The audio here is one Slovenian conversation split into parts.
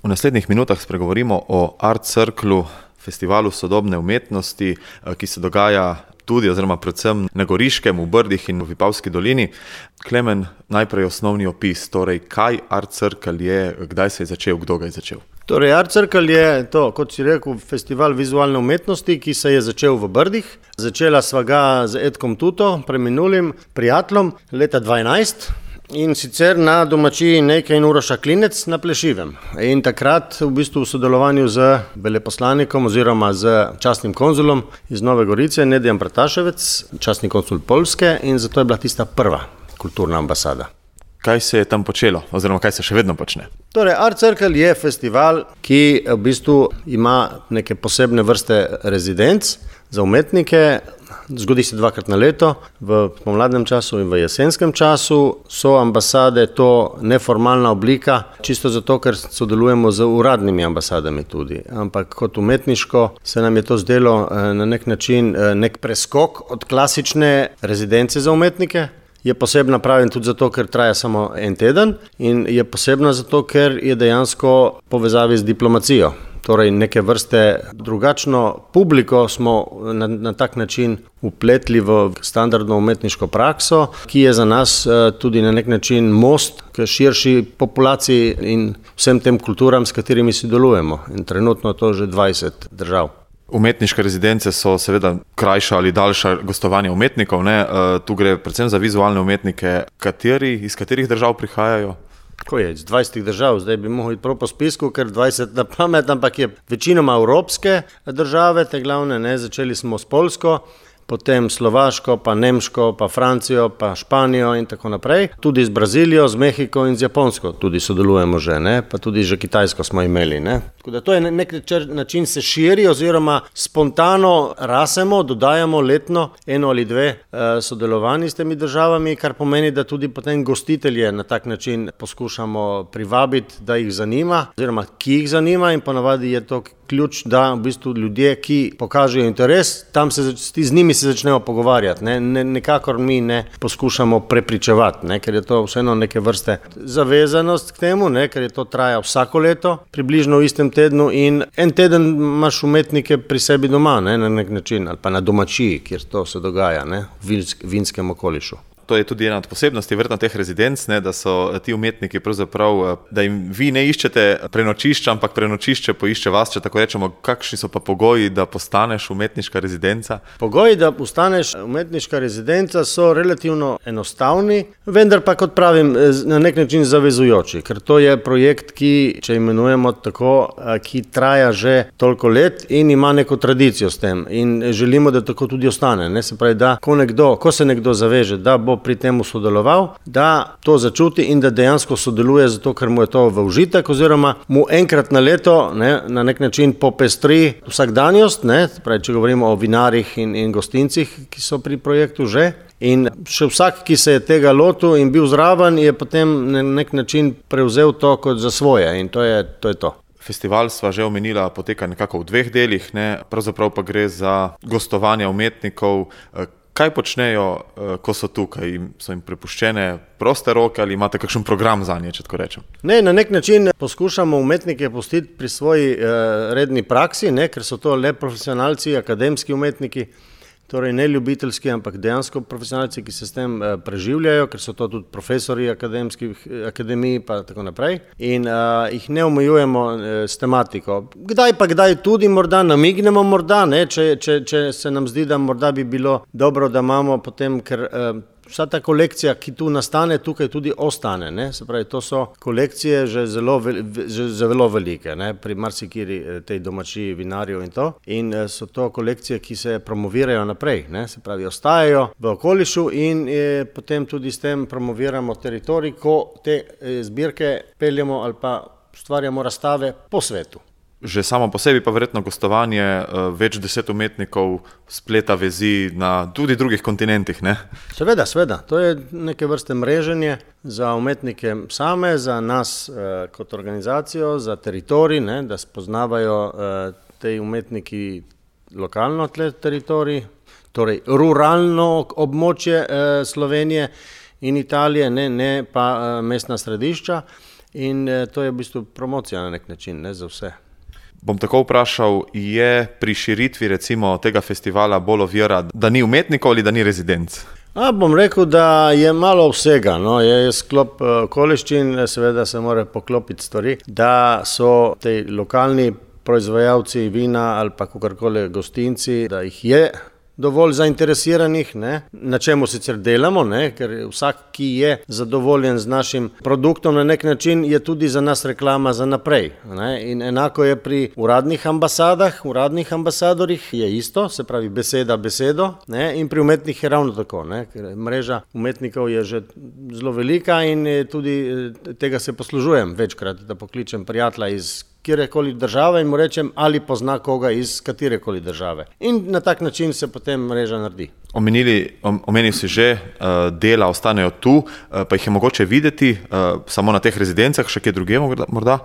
V naslednjih minutah spregovorimo o Art Circlu, festivalu sodobne umetnosti, ki se dogaja tudi oziroma predvsem na Goriškem, v Brdih in v Vipavski dolini. Klemen, najprej osnovni opis, torej kaj Art Circle je, kdaj se je začel, kdo ga je začel? Torej, Art Circle je to, kot si rekel, festival vizualne umetnosti, ki se je začel v Brdih. Začela sva ga z Edkom Tuto, preminulim prijateljem, leta 2012. In sicer na domačiji Nejke in Uroša Klinec na Plešivem. In takrat v bistvu v sodelovanju z veleposlanikom oziroma z častnim konzulom iz Nove Gorice, Nedijem Prataševec, častni konzul Poljske, in zato je bila tista prva kulturna ambasada. Kaj se je tam počelo oziroma kaj se še vedno počne? Torej, Art Circle je festival, ki v bistvu ima neke posebne vrste rezidenc za umetnike. Zgodi se 2-krat na leto, v pomladnem času in v jesenskem času. So ambasade to neformalna oblika, čisto zato, ker sodelujemo z uradnimi ambasadami tudi. Ampak kot umetniško se nam je to zdelo na nek način nek preskok od klasične rezidence za umetnike. Je posebna, pravim, tudi zato, ker traja samo en teden, in je posebna zato, ker je dejansko povezavi z diplomacijo. Torej, neke vrste drugačno publiko smo na tak način upletli v standardno umetniško prakso, ki je za nas tudi na nek način most k širši populaciji in vsem tem kulturam, s katerimi sodelujemo. In trenutno to že 20 držav. Umetniške rezidence so seveda krajša ali daljša gostovanja umetnikov, ne? Tu gre predvsem za vizualne umetnike. Iz katerih držav prihajajo? Ko je, iz 20 držav, zdaj bi mogel iti prav po spisku, ker 20 na pamet, ampak je večinoma evropske države, te glavne, ne, začeli smo s Poljsko, potem Slovaško, pa Nemško, pa Francijo, pa Španijo in tako naprej. Tudi z Brazilijo, z Mehiko in z Japonsko tudi sodelujemo že, ne, pa tudi že Kitajsko smo imeli, ne. Tako da to je nek način se širi oziroma spontano rasemo, dodajamo letno 1 ali 2 sodelovanji s temi državami, kar pomeni, da tudi potem gostitelje na tak način poskušamo privabiti, da jih zanima, oziroma ki jih zanima, in ponavadi je to ključ, da v bistvu ljudje, ki pokažejo interes, tam z njimi se začnemo pogovarjati, ne, nekakor mi ne poskušamo prepričevati, ne, ker je to vseeno neke vrste zavezanost k temu, ne, ker je to traja vsako leto, približno v istem tednu, in en teden imaš umetnike pri sebi doma, ne, na nek način, ali pa na domačiji, kjer to se dogaja, ne, v vinskem okolišu. To je tudi ena od posebnosti verjetno teh rezidenc, ne, da so ti umetniki pravzaprav, da jim vi ne iščete prenočišča, ampak prenočišče poišče vas, če tako rečemo. Kakšni so pa pogoji, da postaneš umetniška rezidenca? Pogoji, da postaneš umetniška rezidenca, so relativno enostavni, vendar pa, kot pravim, na nek način zavezujoči, ker to je projekt, ki, če imenujemo tako, ki traja že toliko let in ima neko tradicijo s tem, in želimo, da tako tudi ostane, ne, se pravi, da ko se nekdo zaveže, da bo pri tem sodeloval, da to začuti in da dejansko sodeluje zato, ker mu je to v užitek, oziroma mu enkrat na leto, ne, na nek način popestri vsakdanjost, ne, pravi, če govorimo o vinarjih in gostincih, ki so pri projektu že. In še vsak, ki se je tega lotil in bil zraven, je potem na nek način prevzel to kot za svoje, in to je to. Festival sva že omenila, poteka nekako v 2 delih, ne, pravzaprav pa gre za gostovanja umetnikov. Kaj počnejo, ko so tukaj? So jim prepuščene proste roke ali imate kakšen program zanje, če tako rečem? Ne, na nek način poskušamo umetnike pustiti pri svoji redni praksi, ne, ker so to le profesionalci, akademski umetniki, torej ne ljubiteljski, ampak dejansko profesionalci, ki se s tem preživljajo, ker so to tudi profesori akademij pa tako naprej, in jih ne omejujemo s tematiko. Kdaj tudi morda namignemo, morda, ne, če se nam zdi, da morda bi bilo dobro, da imamo potem, ker vsa ta kolekcija, ki tu nastane, tukaj tudi ostane, ne? Se pravi, to so kolekcije že zelo velike, ne? Pri marsikiri tej domačiji vinarjev in to. In so to kolekcije, ki se promovirajo naprej, ne? Se pravi, ostajajo v okolišu in potem tudi s tem promoviramo teritorij, ko te zbirke peljemo ali pa ustvarjamo razstave po svetu. Že samo po sebi pa verjetno gostovanje več 10 umetnikov spleta vezi na tudi drugih kontinentih, ne? Seveda, to je neke vrste mreženje za umetnike same, za nas kot organizacijo, za teritorij, ne, da spoznavajo te umetniki lokalno teritorij, torej ruralno območje Slovenije in Italije, ne pa mestna središča. in to je v bistvu promocija na nek način, ne, za vse. Bom tako vprašal, je pri širitvi recimo tega festivala bolj ovira, da ni umetnikov ali da ni rezidenc? Bom rekel, da je malo vsega, no, je sklop okoliščin, seveda se mora poklopiti stvari, da so te lokalni proizvajalci vina ali pa kakorkoli gostinci, da jih je dovolj zainteresiranih, ne, na čemu sicer delamo, ne, ker vsak, ki je zadovoljen z našim produktom na nek način, je tudi za nas reklama za naprej. Ne, in enako je pri uradnih ambasadah, uradnih ambasadorjih je isto, se pravi beseda besedo, ne, in pri umetnikih je ravno tako, ne, ker mreža umetnikov je že zelo velika in tudi tega se poslužujem večkrat, da pokličem prijatelja iz kjerekoli države in mu rečem, ali pozna koga iz katerekoli države. In na tak način se potem mreža naredi. Omenil si že, dela ostanejo tu, pa jih je mogoče videti samo na teh rezidencah, še kje drugje morda?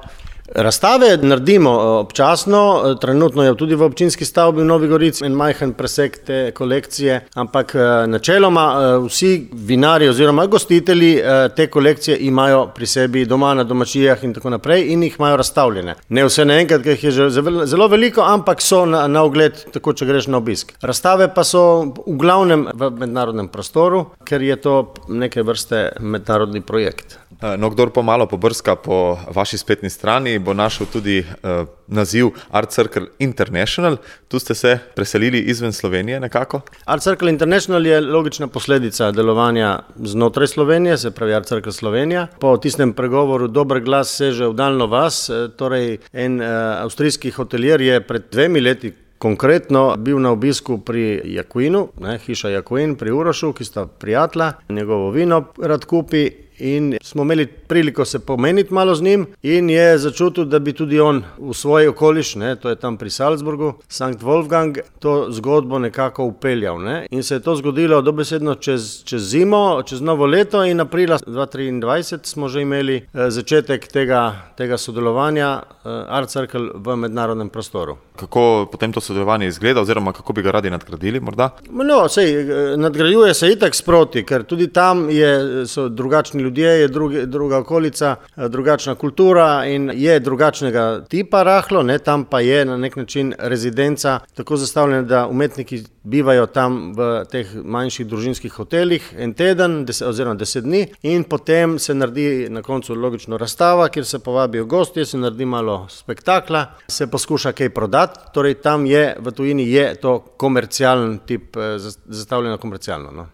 Razstave naredimo občasno, trenutno je tudi v občinski stavbi v Novi Gorici en majhen presek te kolekcije, ampak načeloma vsi vinarji oziroma gostitelji te kolekcije imajo pri sebi doma na domačijah in tako naprej in jih imajo razstavljene. Ne vse naenkrat, ker jih je že zelo veliko, ampak so na ogled, tako če greš na obisk. Razstave pa so v glavnem v mednarodnem prostoru, ker je to neke vrste mednarodni projekt. No, kdor pa malo pobrska po vaši spletni strani, bo našel tudi naziv Art Circle International. Tu ste se preselili izven Slovenije nekako? Art Circle International je logična posledica delovanja znotraj Slovenije, se pravi Art Circle Slovenija. Po tistem pregovoru Dober glas seže v daljno vas, torej en avstrijski hoteljer je pred 2 leti konkretno bil na obisku pri Jakuinu, hiša Jakuin pri Urošu, ki sta prijatelja, njegovo vino rad kupi. In smo imeli priliko se pomeniti malo z njim in je začutil, da bi tudi on v svoj okoliš, ne, to je tam pri Salzburgu, Sankt Wolfgang, to zgodbo nekako upeljal. Ne. In se je to zgodilo dobesedno čez zimo, čez novo leto in aprila 2023 smo že imeli začetek tega sodelovanja Art Circle v mednarodnem prostoru. Kako potem to sodelovanje izgleda oziroma kako bi ga radi nadgradili morda? No, nadgrajuje se itak sproti, ker tudi tam so drugačni ljudje, je druga okolica, drugačna kultura in je drugačnega tipa rahlo, ne, tam pa je na nek način rezidenca tako zastavljena, da umetniki bivajo tam v teh manjših družinskih hotelih en teden oziroma 10 dni in potem se naredi na koncu logično razstava, kjer se povabijo gostje, se naredi malo spektakla, se poskuša kaj prodati, torej tam je, v tujini je to komercialen tip, zastavljeno komercialno. No.